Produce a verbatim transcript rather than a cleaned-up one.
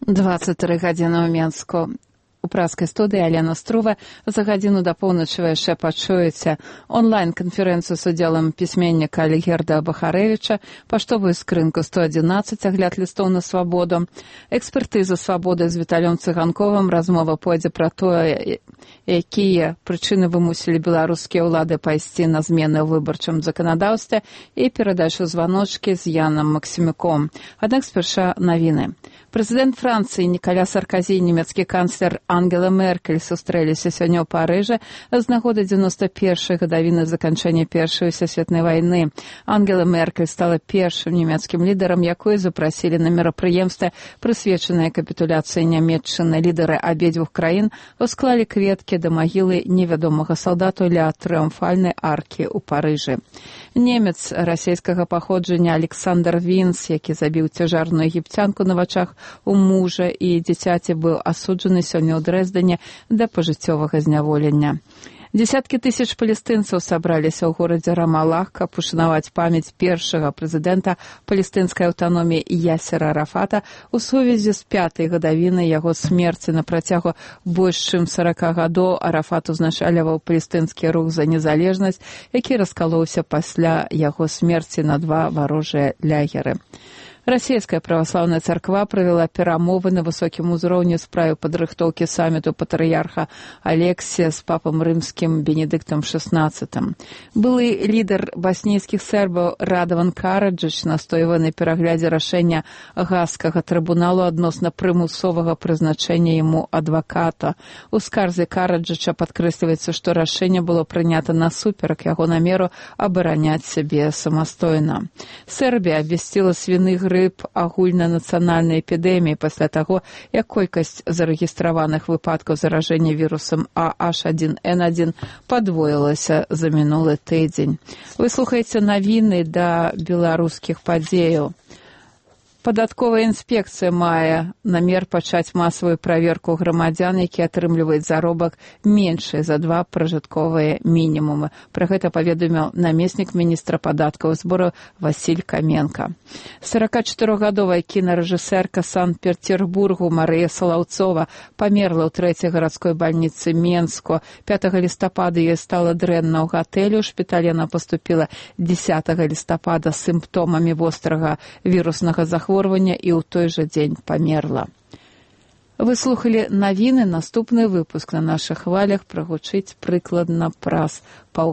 двадцать тры гадзіны ў Менску. У праскай студыі Алена Струва. За гадзіну да поўначы вы яшчэ пачуеце онлайн-канферэнцыю з удзелам пісьменніка Алігерда Бахарэвіча, паштовую скрынку сто адзінаццаць, агляд лістоў на свабоду, экспертыза свабоды з Віталём Цыганковым, размова пойдзе пра тое, якія прычыны вымусілі беларускія ўлады пайсці на змены ў выбарчым заканадаўстве, і перадачу званочкі з Янам Максімюком. Аднак спярша навіны. Прэзідэнт Францыі Ніколя Саркозі і нямецкі канцлер Ангела Меркель сустрэліся сёння ў Парыжы з нагоды дзевяноста першай гадавіны заканчэння Першай сусветнай вайны. Ангела Меркель стала першым нямецкім лідарам, якую запрасілі на мерапрыемстве, прысвечанае капітуляцыі Нямецчыны. Лідары абедзвюх краін усклалі кветкі да магілы невядомага салдату ля трыумфальнай аркі ў Парыжы. Немец расійскага паходжання Александр Вінс, які забіў цяжарную егіпцянку на вачах у мужа і дзіцяці, быў асуджаны сёння ў Дрэздане да пажыццёвага зняволення. Дзесяткі тысяч палестынцаў сабраліся ў горадзе Рамалах, каб ушанаваць памяць першага прэзідэнта палестынскай аўтаноміі Ясера Арафата у сувязі з пятай гадавінай яго смерці. На працягу больш чым сарака гадоў Арафат узначальваў палестынскі рух за незалежнасць, які раскалоўся пасля яго смерці на два варожыя лагеры. Расійская праваслаўная царква правяла перамовы на высокім узроўні ў справе падрыхтоўкі саміту патрыярха Алексія з папам рымскім Бенедыктам шаснаццатым. Былы лідар баснійскіх сербаў Радаван Караджыч настойвае на пераглядзе рашэння Гаагскага трыбуналу адносна прымусовага прызначэння яму адваката. У скарзе Караджыча падкрэсліваецца, што рашэнне было прынята насуперак яго намеру абараняць сябе самастойна. Сербія абвясціла свіны грып агульнанацыянальнай эпідэміі пасля таго, як колькасць зарэгістраваных выпадкаў заражэння вірусам А Аш адзін Эн адзін падвоілася за мінулы тыдзень. Вы слухаеце навіны да беларускіх падзеяў. Падатковая інспекцыя мае намер пачаць масавую праверку грамадзян, які атрымліваюць заробак меншы за два пражытковыя мінімумы. Пра гэта паведаміў намеснік міністра падаткаў і збору Васіль Каменка. саракачатырохгадовая кінарэжысэрка Санкт-Петербургу Марыя Салаўцова памерла ў трэцяй гарадской бальніцы Менску. пятага лістапада ёй стала дрэнна ў гатэлі. У шпіталь яна паступіла дзесятага лістапада з сімптомамі вострага віруснага захворвання і ў той жа дзень памерла. Вы слухалі навіны. Наступны выпуск на нашых хвалях прагучыць прыкладна праз паўгадзіны.